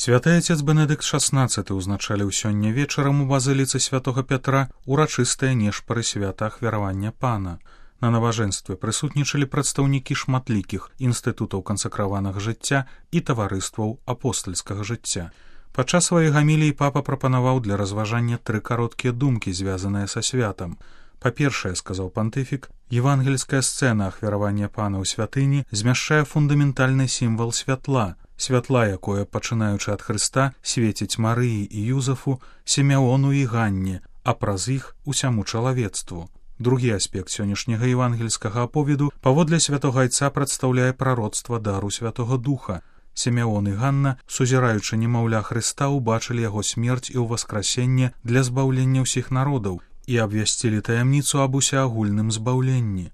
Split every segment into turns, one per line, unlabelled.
Святы отец Бенедыкт XVI узначаліў сёння вечарам у базыліцы святого Пятра урачыстыя нешпары свята ахвяравання Пана. На набажэнстве прысутнічалі прадстаўнікі шматлікіх інстытутаў кансакраванага жыцця і таварыстваў апостальскага жыцця. Падчас сваёй гаміліі папа прапанаваў для разважання 3 кароткія думкі, звязаныя са святам. Па-першае, сказаў пантыфік, евангельская сцэна ахвяравання Пана ў святыні змяшчае фундаментальны сімвал святла, якое, пачынаючы ад Хрыста, свеціць Марыі і Юзафу, Сімеону і Ганне, а праз іх усяму чалавецтву. Другі аспект сённяшняга евангельскага аповеду паводле святога айца прадстаўляе прароцтва дару Святога Духа. Сімеон і Ганна, сузіраючы немаўля Хрыста, убачылі яго смерць і ўваскрасенне для збаўлення ўсіх народаў і абвясцілі таямніцу аб усеагульным збаўленні.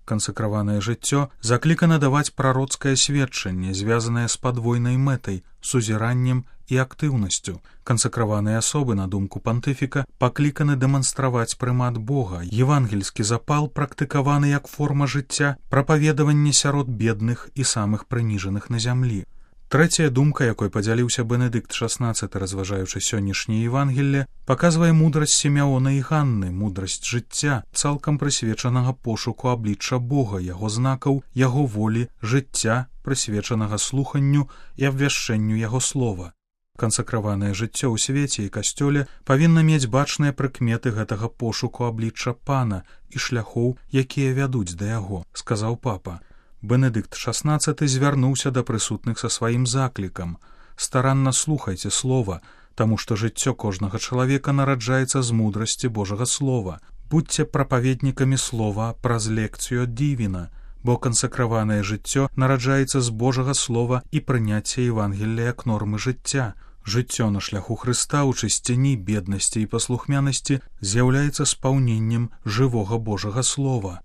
Кансакраванае жыццё заклікана даваць прароцкае сведчанне, звязанае з падвойнай мэтай, сузіраннем і актыўнасцю. Кансакраваныя асобы, на думку пантыфіка, пакліканы дэманстраваць прымат Бога, евангельскі запал практыкаваны як форма жыцця, прапаведаванне сярод бедных і самых прыніжаных на зямлі. Трэцяя думка, якой падзяліўся Бенедыкт XVI, разважаючы сённяшняе Евангелле, паказвае мудрасць Сімеона і Ганны, мудрасць жыцця, цалкам прысвечанага пошуку аблічча Бога, яго знакаў, яго волі, жыцця, прысвечанага слуханню і абвяшчэнню яго слова. Кансакраванае жыццё ў свеце і касцёле павінна мець бачныя прыкметы гэтага пошуку аблічча Пана і шляхоў, якія вядуць да яго, сказаў папа. Бенедыкт XVI звярнуўся да прысутных са сваім заклікам: старанна слухайце слова, таму што жыццё кожнага чалавека нараджаецца з мудрасці Божага слова. Будзьце прапаведнікамі слова праз лекцыю ад Дівіна, бо кансакраванае жыццё нараджаецца з Божага слова і прыняцце Евангелля як нормы жыцця. Жыццё на шляху Хрыста ў чысціні, беднасці і паслухмянасці з'яўляецца спаўненнем жывога Божага слова.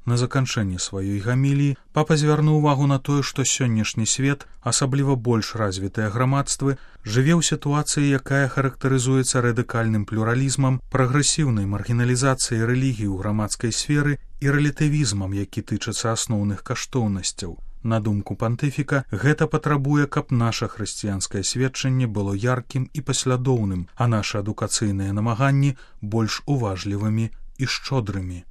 На заканчэнне сваёй гаміліі папа звярнуў увагу на тое, што сённяшні свет, асабліва больш развітыя грамадствы, жыве ў сітуацыі, якая характарызуецца радыкальным плюралізмам, прагрэсіўнай маргіналізацыяй рэлігіі ў грамадскай сферы і рэлятывізмам, які тычыцца асноўных каштоўнасцяў. На думку пантыфіка, гэта патрабуе, каб наша хрысціянскае сведчанне было яркім і паслядоўным, а нашы адукацыйныя намаганні больш уважлівымі і шчодрымі.